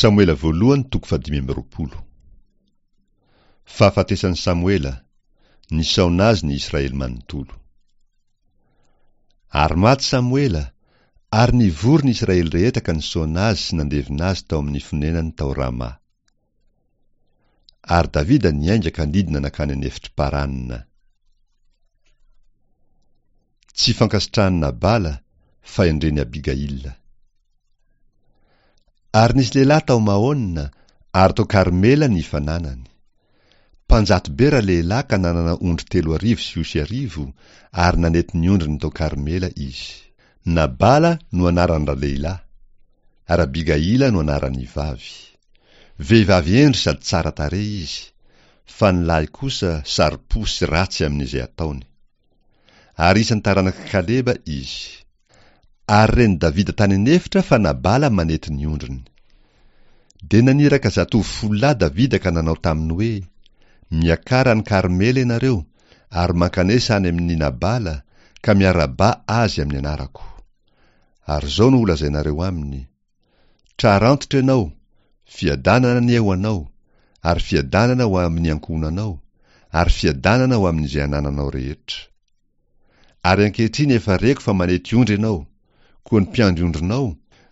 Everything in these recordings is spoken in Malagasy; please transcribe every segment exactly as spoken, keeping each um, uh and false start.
Samoela voalohany toko fahadimy amby roapolo. Fahafatesan'i Samoela, nisaona azy ny Israely manontolo. Ary maty Samoela, ary nivory ny Israely rehetra ka nisaona azy sy nandevina azy tao amin'ny fonenany tao Rama. Ary Davida niainga ka nidina nankany an'efitr'i Parana. Tsy fankasitrahan'i Nabala, fahendren'i Abigaila. Ary nisy lehilahy tao Maona, ary tao Karmela ny fananany. Mpanjato be ralehilahy ka nanana ondry telo arivo sy osy arivo, ary nanety ny ondriny tao Karmela izy. Nabala no anaran-dralehilahy, ary Abigaila no anaran'ny vavy. Vehivavy hendry sady tsara tarehy izy, fa ny lahy kosa saro-po sy ratsy amin'izay ataony. Ary isan'ny taranak'i Kaleba izy. Ary ren'i Davida tany an'efitra fa Nabala manety ny ondriny. Dia naniraka zatovo folo lahy Davida ka nanao taminy hoe, Miakara any Karmela ianareo, ary mankanesa any amin'i Nabala, ka miarahaba azy amin'ny anarako. Ary izao no holazainareo aminy, Trarantitra ianao, fiadanana anie ho anao, ary fiadanana ho amin'ny ankohonanao, ary fiadanana ho amin'izay anananao rehetra. Ary ankehitriny efa reko fa manety ondry ianao, koa ny mpiandry ondrinao,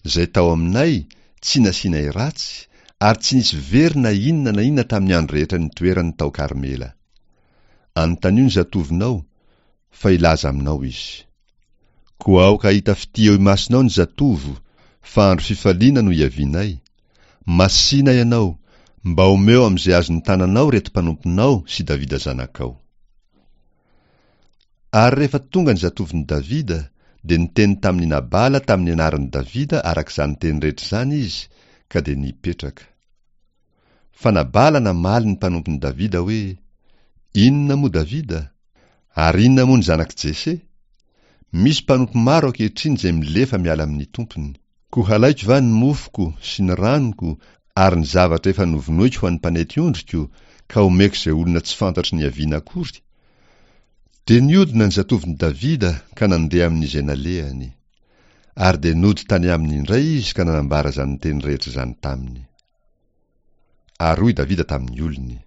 izay tao aminay, tsy nasianay ratsy, ary tsy nisy very na inona na inona tamin'ny andro rehetra nitoerany tao Karmela. Anontanio ny zatovonao, fa hilaza aminao izy. Koa aoka hahita fitia eo imasonao ny zatovo, fa andro fifaliana no iavianay. Masìna ianao, mba omeo amin'izay azon'ny tananao ireto mpanomponao sy Davida zanakao. Ary rehefa tonga ny zatovon'i Davida, dia niteny tamin'i Nabala tamin'ny anaran'i Davida araka izany teny rehetra izany izy, ka dia nipetraka. Fa Nabala namaly ny mpanompon'i Davida hoe, Inona moa Davida? Ary inona moa ny zanak'i Jese? Misy mpanompo maro ankehitriny izay milefa miala amin'ny tompony. Koa halaiko va ny mofoko sy ny ranoko ary ny zavatra efa novonoiko ho an'ny mpanety ondriko, ka homeko izay olona tsy fantatro niaviana akory? Dia niodina ny zatovon'i Davida ka nandeha amin'izay nalehany. Ary dia nody tany aminy indray izy ka nanambara izany teny rehetra izany taminy. Ary hoy Davida tamin'ny olony,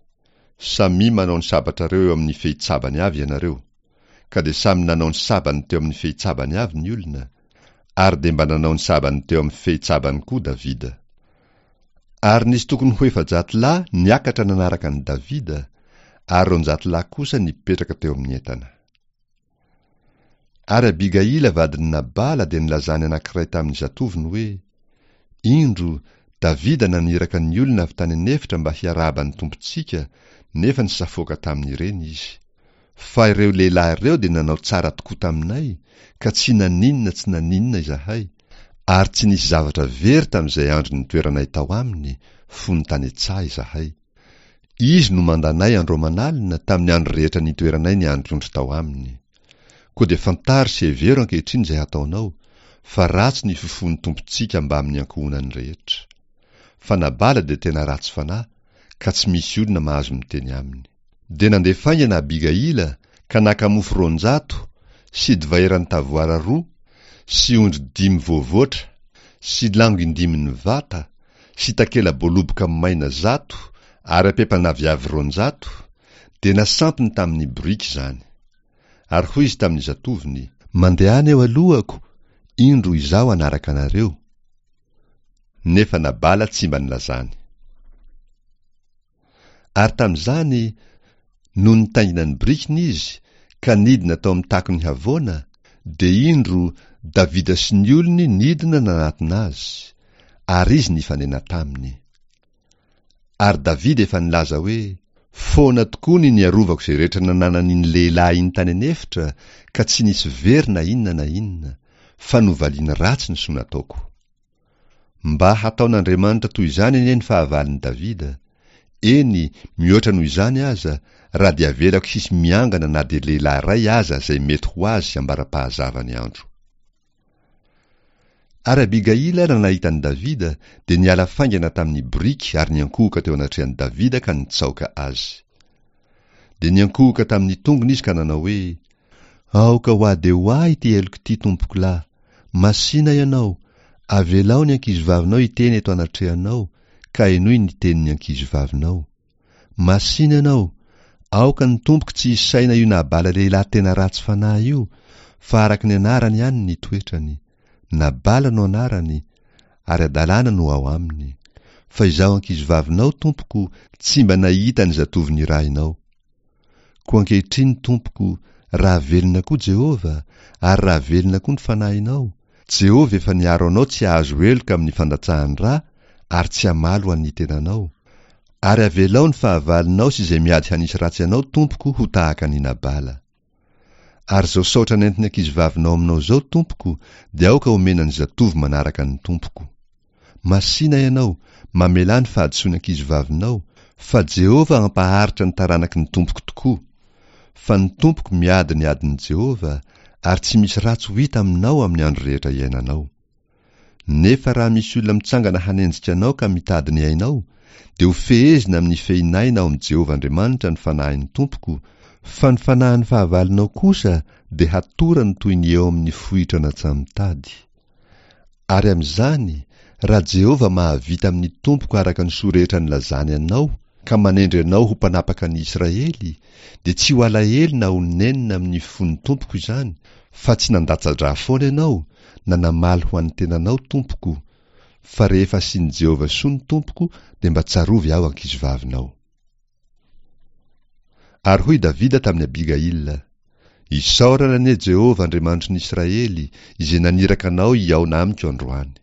Samia manao ny sabatrareo eo amin'ny fehitsabany avy ianareo. Ka dia samy nanao ny sabany teo amin'ny fehitsabany avy ny olona, ary dia mba nanao ny sabany teo amin'ny fehitsabany koa Davida. Ary nisy tokony ho efajato lahy niakatra nanaraka an'i Davida, ary roanjato lahy kosa nipetraka teo amin'ny entana. Ary Abigaila vadin'i Nabala dia nilazany anankiray tamin'ny zatovony hoe, Indro, Davida naniraka ny olona avy tany an'efitra mba hiarahaba ny tompontsika, nefa nisafoaka tamin'ireny izy. Fa ireo lehilahy ireo dia nanao tsara tokoa taminay, ka tsy naninona tsy naninona izahay, ary tsy nisy zavatra very tamin'izay andro nitoeranay tao aminy, fony tany an-tsaha izahay. Izy no mandanay andro aman'alina tamin'ny andro rehetra nitoeranay niandry ondry tao aminy. Koa dia fantaro sy hevero ankehitriny izay hataonao, fa ratsy ny fifohon'ny Tompontsika mbamin'ny ankohonany rehetra. Fa Nabala dia tena ratsy fanahy, ka tsy misy olona mahazo miteny aminy. Dia nandeha faingana Abigaila ka naka mofo roanjato, sy divay eran'ny tavoara roa, sy ondry dimy voavoatra, sy lango indimin'ny vata, sy takela-boaloboka maina zato ary ampempan'aviavy roanjato, dia nasampiny tamin'ny boriky izany. Ary hoy izy tamin'ny zatovony, Mandehana eo alohako, indro izaho hanaraka anareo. Nefa Nabala tsy mba nilazany. Ary tamin'izany, nony nitaingina ny birikiny izy, ka nidina tao amin'ny takon'ny havoana, dia indro, Davida sy ny olony nidina nanatona azy, ary izy nifanena taminy. Ary Davida efa nilaza hoe, Foana tokoa ny niarovako izay rehetra nananan'iny lehilahy iny tany an'efitra, ka tsy nisy very na inona na inona, fa novaliany ratsy ny soa nataoko. Mba hataon'Andriamanitra toy izany anie ny fahavalon'i Davida, eny, mihoatra noho izany aza, raha dia avelako hisy miangana na dia lehilahy iray aza izay mety ho azy ambara-pahazava ny andro. Ary Abigaila raha nahita an'i Davida, dia niala faingana tamin'ny boriky ary niankohoka teo anatrehan'i Davida ka nitsaoka azy. Dia niankohoka tamin'ny tongony izy ka nanao hoe, Aoka ho ahy dia ho ahy ity heloko ity, tompokolahy. Masìna ianao, avelao ny ankizivavinao hiteny eto anatrehanao, ka henoy ny tenin'ny ankizivavinao. Masìna ianao, aoka ny tompoko tsy hisaina io Nabala lehilahy tena ratsy fanahy io, fa araka ny anarany ihany ny toetrany. Nabala no anarany, ary hadalana no ao aminy. Fa izaho ankizivavinao, tompoko, tsy mba nahita ny zatovo nirahinao. Koa ankehitriny, tompoko, raha velona koa Jehovah, ary raha velona koa ny fanahinao, Jehovah efa niaro anao tsy hahazo heloka amin'ny fandatsahan-dra ary tsy hamaly ho an'ny tenanao. Ary avelao ny fahavalonao sy izay miady hanisy ratsy anao, tompoko, ho tahaka an'i Nabala. Ary izao saotra nentin'ny ankizivavinao aminao izao, tompoko, dia aoka homena ny zatovo manaraka ny tompoko. Masìna ianao, mamelà ny fahadisoan'ny ankizivavinao, fa Jehovah hampaharitra ny taranaky ny tompoko tokoa. Fa ny tompoko miady ny adin'i Jehovah, ary tsy misy ratsy ho hita aminao amin'ny andro rehetra iainanao. Nefa raha misy olona mitsangana hanenjika anao ka mitady ny ainao, dia ho fehezina amin'ny fehin'aina ao amin'i Jehovah Andriamanitra ny fanahin'ny tompoko, fa ny fanahin'ny fahavalonao kosa dia hatorany toy ny eo amin'ny fohitra natsamitady. Ary amin'izany, raha Jehovah mahavita amin'ny tompoko araka ny soa rehetra nilazany anao, ka manendry anao ho mpanapaka ny Israely, dia tsy ho alahelo na ho nenina amin'ny fon'ny tompoko izany, fa tsy nandatsa-drà foana ianao, na namaly ho an'ny tenanao, tompoko, fa rehefa asian'i Jehovah soa ny tompoko, dia mba tsarovy aho ankizivavinao. Ary hoy Davida tamin'i Abigaila, Isaorana anie Jehovah Andriamanitry ny Israely, izay naniraka anao hihaona amiko androany.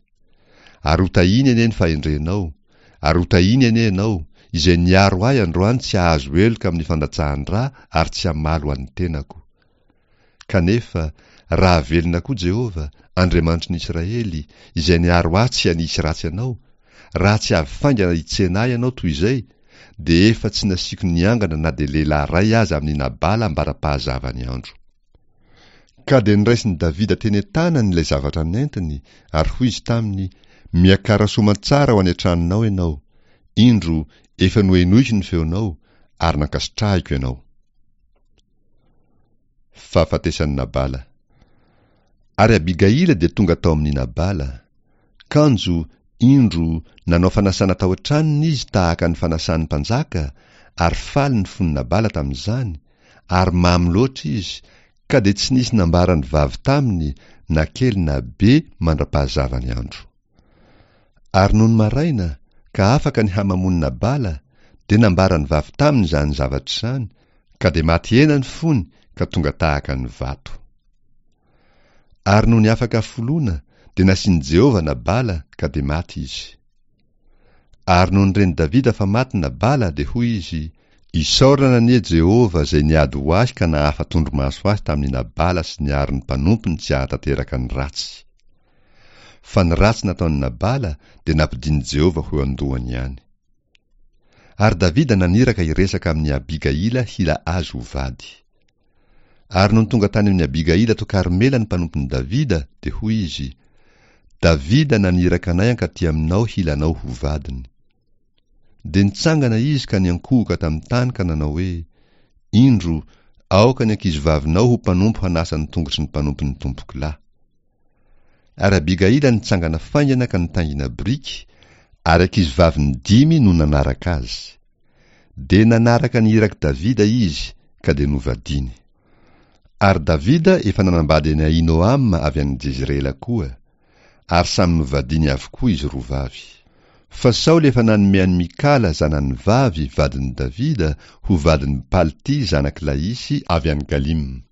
Ary hotahiny anie ny fahendrenao, ary hotahiny anie ianao, izay niaro ahy androany tsy hahazo heloka amin'ny fandatsahan-drà ary tsy hamaly ho an'ny tenako. Kanefa, raha velona koa Jehovah, Andriamanitry ny Israely, izay niaro ahy tsy hanisy ratsy anao, raha tsy avy faingana hitsena ahy ianao toy izay, dia efa tsy nasiako niangana na dia lehilahy iray aza amin'i Nabala ambara-pahazavan'ny andro. Ka dia noraisin'i Davida teny an-tanany ilay zavatra nentiny, ary hoy izy taminy, Miakara soamantsara ho any an-tranonao ianao. Indro, efa nohenoiko ny feonao, ary nankasitrahiko ianao. Fahafatesan'i Nabala. Ary Abigaila dia tonga tao amin'i Nabala. Kanjo, indro, nanao fanasana tao an-tranony izy tahaka ny fanasan'ny mpanjaka, ary faly ny fon'i Nabala tamin'izany, ary mamy loatra izy, ka dia tsy nisy nambaran'ny vavy taminy na kely na be mandra-pahazavan'ny andro. Ary nony maraina, ka afaka ny hamamoan'i Nabala, dia nambaran'ny vavy taminy izany zavatra izany, ka dia maty hena ny fony ka tonga tahaka ny vato. Ary nony afaka foloana, dia nasian'i Jehovah Nabala, ka dia maty izy. Ary nony ren'i Davida fa maty Nabala, dia hoy izy, Isaorana anie Jehovah izay niady ho ahy ka nahafa-tondromaso ahy tamin'i Nabala sy niaro ny mpanompony tsy hahatanteraka ny ratsy. Fa ny ratsy nataon'i Nabala dia nampidin'i Jehovah ho eo an-dohany ihany. Ary Davida naniraka hiresaka amin'i Abigaila hila azy ho vady. Ary nony tonga tany amin'i Abigaila tao Karmela ny mpanompon'i Davida, dia hoy izy, Davida naniraka anay hankaty aminao hila anao ho vadiny. Dia nitsangana izy ka niankohoka tamin'ny tany ka nanao hoe, Indro, aoka ny ankizivavinao ho mpanompo hanasa ny tongotry ny mpanompon'ny tompoko lahy. Ary Abigaila nitsangana faingana ka nitaingina biriky, ary ankizivaviny dimy no nanaraka azy. Dia nanaraka ny irak'i Davida izy, ka dia novadiany. Ary Davida efa nanambady an'i Ahinoama avy any Jezirela koa, ary samy novadiany avokoa izy roa vavy. Fa Saoly efa nanome an'i Mikala zanany vavy vadin'i Davida ho vadin'i Palty zanak'i Laisy avy any Galima.